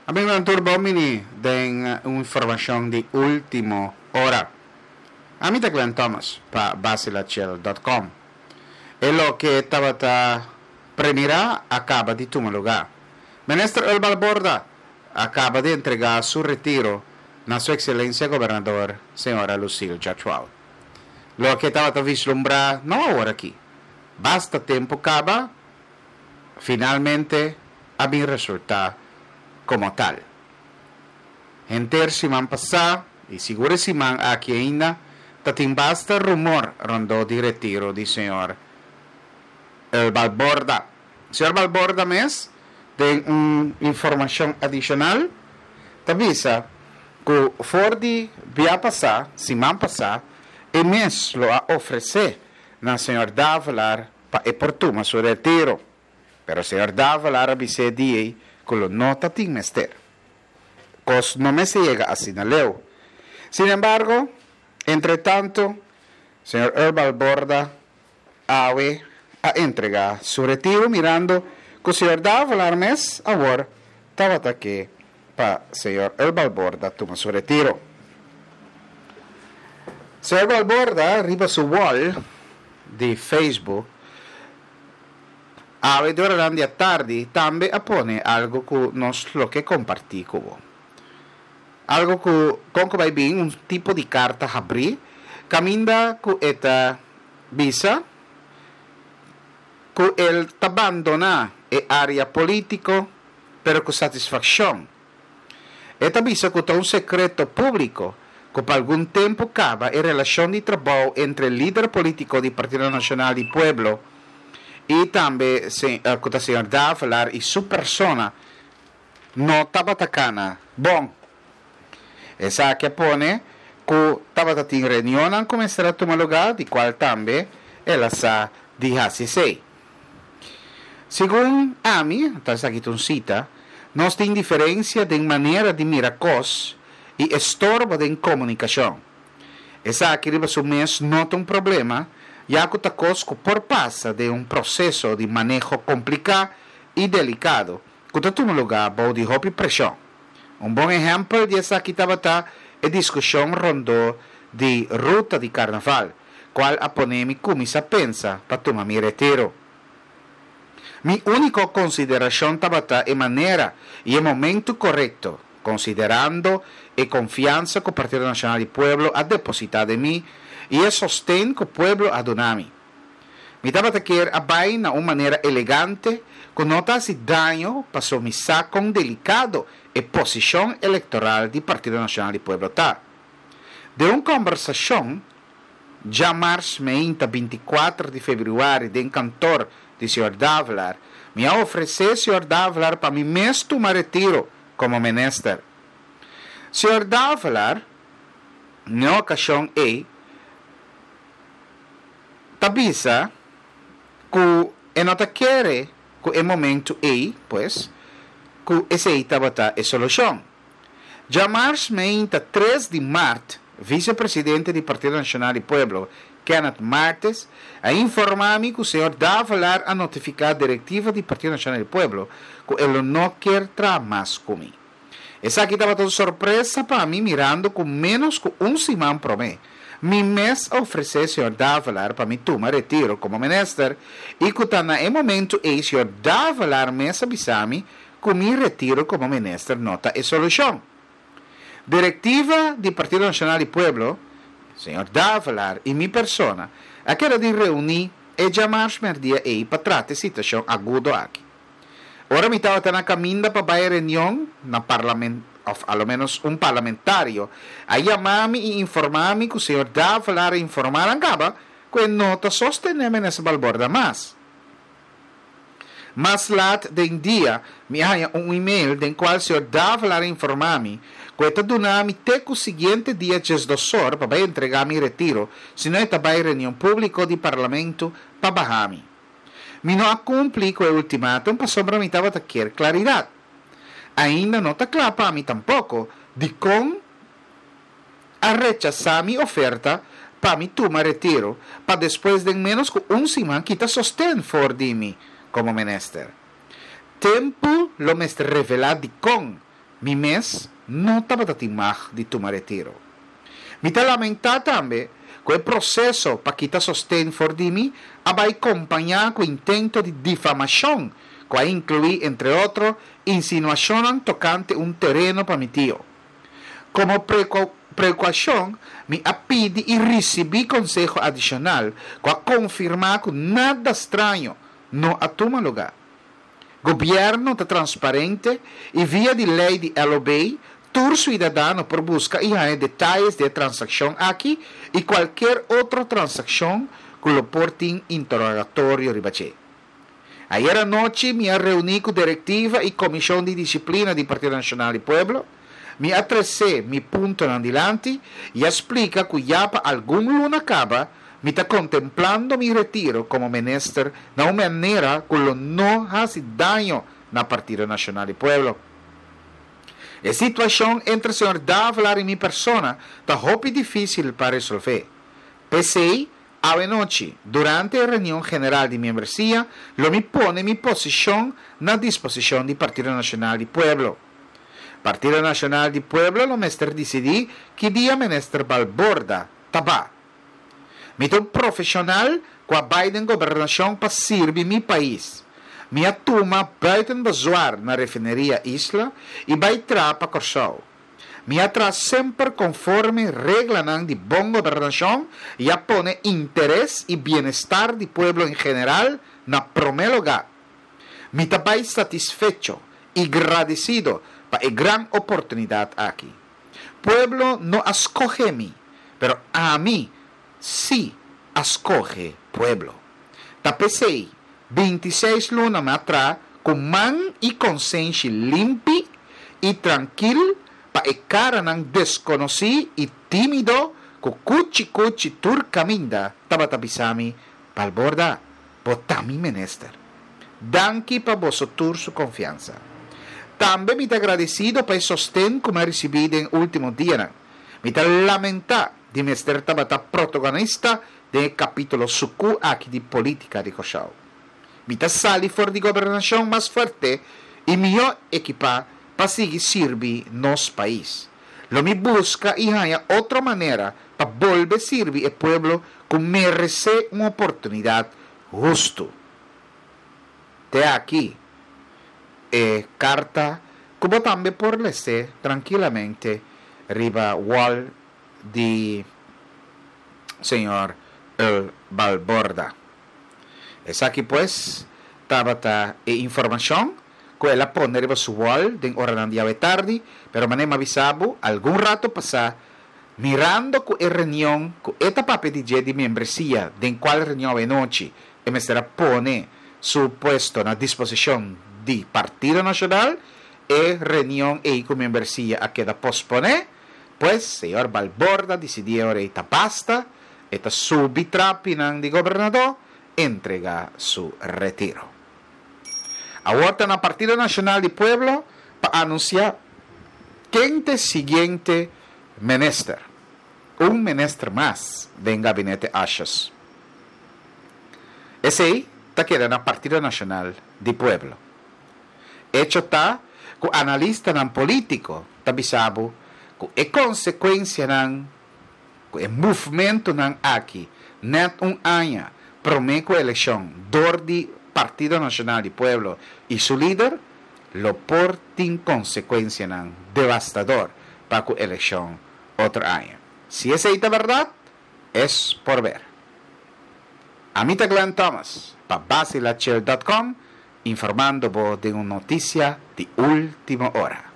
Amigonan tur bon bini den un informacion di ultimo ora. Ami ta Glenn Thomas pa Basilachel dot com. E loke tabata premira a caba di tuma lugar. Minister Earl Balborda a caba di entrega su retiro na su excelencia Gobernador Señora Lucille George-Wout. Loke tabata vislumbra no awor aki. Basta tempo caba finalmente a bin resultá komo tal. Henter siman pasá i sigur e siman aki ainda ta tin basta rumor rondó di retiro di señor El Balborda. Señor Balborda mes den un informashon adishonal ta bisa ku for di bia pasá, siman pasá, e mes lo a ofresé na señor Davelaar pa e por tuma su retiro. Pero señor Davelaar a bis'é di ei ku lo no ta tin mester. Kos no mester yega asina leu. Sin embargo, entretanto, señor Earl Balborda awe a entregá su retiro mirando ku señor Davelaar mes awor tabata ke pa señor Earl Balborda tuma su retiro. Señor Balborda riba su wall di Facebook awe duranan di atardi tambe a pone algo ku nos lo ke kompartí ku bo. Algo ku kon ku bai bin un tipo di karta habrí kaminda ku e ta bisa ku el ta bandoná e área polítiko pero ku satisfakshon. E ta bisa ku ta un sekreto públiko ku pa algun tempu kaba e relashon di trabou entre lider polítiko di Partido Nashonal di Pueblo i tambe ku ta señor Davelaar i su persona no tabata kana bon. Esaki a pone ku tabata tin reunionnan ku mester a tuma lugá di kual tambe el a sa di hasi esei. Segun ami, ta esaki ta un sita, nos tin diferensia den manera di mira kos i estorbo den komunikashon. Esaki riba su mes no ta un problema, ya ku ta kos ku por pasa den un proseso di maneho kompliká i delikado ku ta tuma lugá bou di hopi preshon. Un bon ehèmpel di esaki tabata e diskushon rondó di ruta di karnaval, kual a pone mi kuminsá pensa pa tuma mi retiro. Mi úniko konsiderashon tabata e manera i e momentu korekto, konsiderando e konfiansa ku Partido Nashonal di Pueblo a depositá den mi i e sosten ku pueblo a duna mi. Mi tabata kier a bai na un manera elegante ku no ta hasi daño paso mi sa kon delikado e posishon elektoral di Partido Nashonal di Pueblo ta. Den un kòmbersashon djamars meinta 24 di febrüari den kantor di señor Davelaar, mi a ofresé señor Davelaar pa mi mes tuma retiro komo minister. Señor Davelaar, n'e okashon ei, ta bisa ku e no ta kere ku e momentu ei, pues, ku esei tabata e solushon. Djamars meinta tres di mart, visepresidente di Partido Nashonal di Pueblo, Kenneth Martes, a informá mi ku señor Davelaar a notifiká direktiva di Partido Nashonal di Pueblo ku e lo no kier traha mas ku mi. Esaki tabata un sorpresa pa mi mirando ku ménos ku un siman promé mi mes a ofresé señor Davelaar pa mi tuma retiro komo minister i ku ta na e momentu ei señor Davelaar mes a bisa mi ku mi retiro komo minister no ta e solushon. Direktiva di Partido Nashonal di Pueblo, señor Davelaar i mi persona a keda di reuní e djamars mèrdia ei pa trata e situashon agudo aki. Ora mi tabata na kaminda pa bai reunion na parlament of a lo menos un parlamentario a yama mi i informa mi ku señor Davelaar a informa nan kaba ku e no ta sostené Minister Balborda mas. Mas lat den dia mi a haña un email den kual señor Davelaar a informa mi ku e ta duna mi te ku siguiente dia diesdosor pa bai entrega mi retiro sino e ta bai reunion públiko di parlamento pa baha mi. Mi no a kumpli ku e ultimatum pasobra mi tabata kier klaridat. Ainda no ta kla pa mi tampoko dikon a rechasá mi oferta pa mi tuma retiro pa despues den ménos ku un siman kita sosten for di mi komo minister. Tempu lo mester revelá dikon. Mi mes no tabata tin mag di tuma retiro. Mi ta lamentá tambe ku e proseso pa kita sosten for di mi a bai kompañá ku intento di difamashon ku a inkluí entre otro insinuashonnan tokante un tereno pa mi tio. Komo prekaushon mi a pidi i risibí konseho adishonal ku a konfirmá ku nada straño no a tuma lugá. Gobièrnu ta transparente i via di lei di LOB tur suidadano por buska i haña detayes di e transakshon aki i kualker otro transakshon ku lo por tin interogatorio riba dje. Ayer anochi mi a reuní ku direktiva i komishon di disiplina di Partido Nashonal di Pueblo. Mi a tresé mi puntonan dilanti i a splika ku ya pa algun luna kaba Mi ta kontemplando mi retiro komo minister na un manera ku lo no hasi daño na Partido Nashonal di Pueblo. E situashon entre señor Davelaar i mi persona ta hopi difísil pa resolvé. P'esei, awe nochi, durante e reunion general di miembresia, lo mi pone mi posishon na disposishon di Partido Nashonal di Pueblo. Partido Nashonal di Pueblo lo mester disidí ki dia minister Balborda ta ba. Mi ta un profesional cu a bay den gobernacion pa sirbi mi pais. Mi a tuma buiten bezwaar na refineria Isla y bay traha pa Corsou. Mi a traha semper conforme reglanan di bon gobernacion y a pone interes y bienestar di pueblo en general na prome lugar. Mi ta bay satisfecho y gradecido pa e gran oportunidad aki. Pueblo no a scoge mi, pero ami sí a scoge pueblo. Ta p'esey, bintiseis luna mi a traha cu man y consenshi limpi y trankil pa e caranan desconoci y timido cu cuchi cuchi tur caminda tabata bisa mi, Balborda, bo ta mi minister. Danki pa boso tur su konfiansa. Tambe mi ta agradesido pa e sosten ku mi a risibí den último dianan. Mi ta lamentá di mester tabata protagonista den e kapítulo sukú aki di polítika di Kòrsou. Mi ta sali for di gobernashon mas fuerte i mihó ekipá pa sigui sirbi nos pais. Lo mi buska i haña otro manera pa bolbe sirbi e pueblo ku meresé un oportunidat hustu. Te aki e karta ku bo tambe por les'é trankilamente riba wall di señor Earl Balborda. Esaki pues tabata e informashon ku el a pone riba su wall den oranan di awe tardi, pero manera mi a bisa bo algun rato pasá, Mirando ku e reunion ku e ta papia di dje di membresia den kual reunion awenochi e mester a pone su puesto na disposishon di Partido Nashonal, e reunion ei ku membresia a keda posponé, pues señor Balborda disidí e ora ei ta basta, e ta subi trapinan di gobernadó entrega su retiro. Awor ta na Partido Nashonal di Pueblo pa anunsiá ken ta e siguiente minister. Un minister mas den gabinete Asjes. Esei ta keda na Partido Nashonal di Pueblo. Echo ta ku analistanan polítiko ta bisa bo ku e konsekuensianan ku e movementonan aki nèt un aña promé ku elekshon dor di Partido Nashonal di Pueblo i su lider lo por tin konsekuensianan devastador pa ku elekshon otro aña. Si esei ta bèrdat, es por ber. Ami ta Glenn Thomas pa Basilachel dot com informando bo den un notisia di último ora.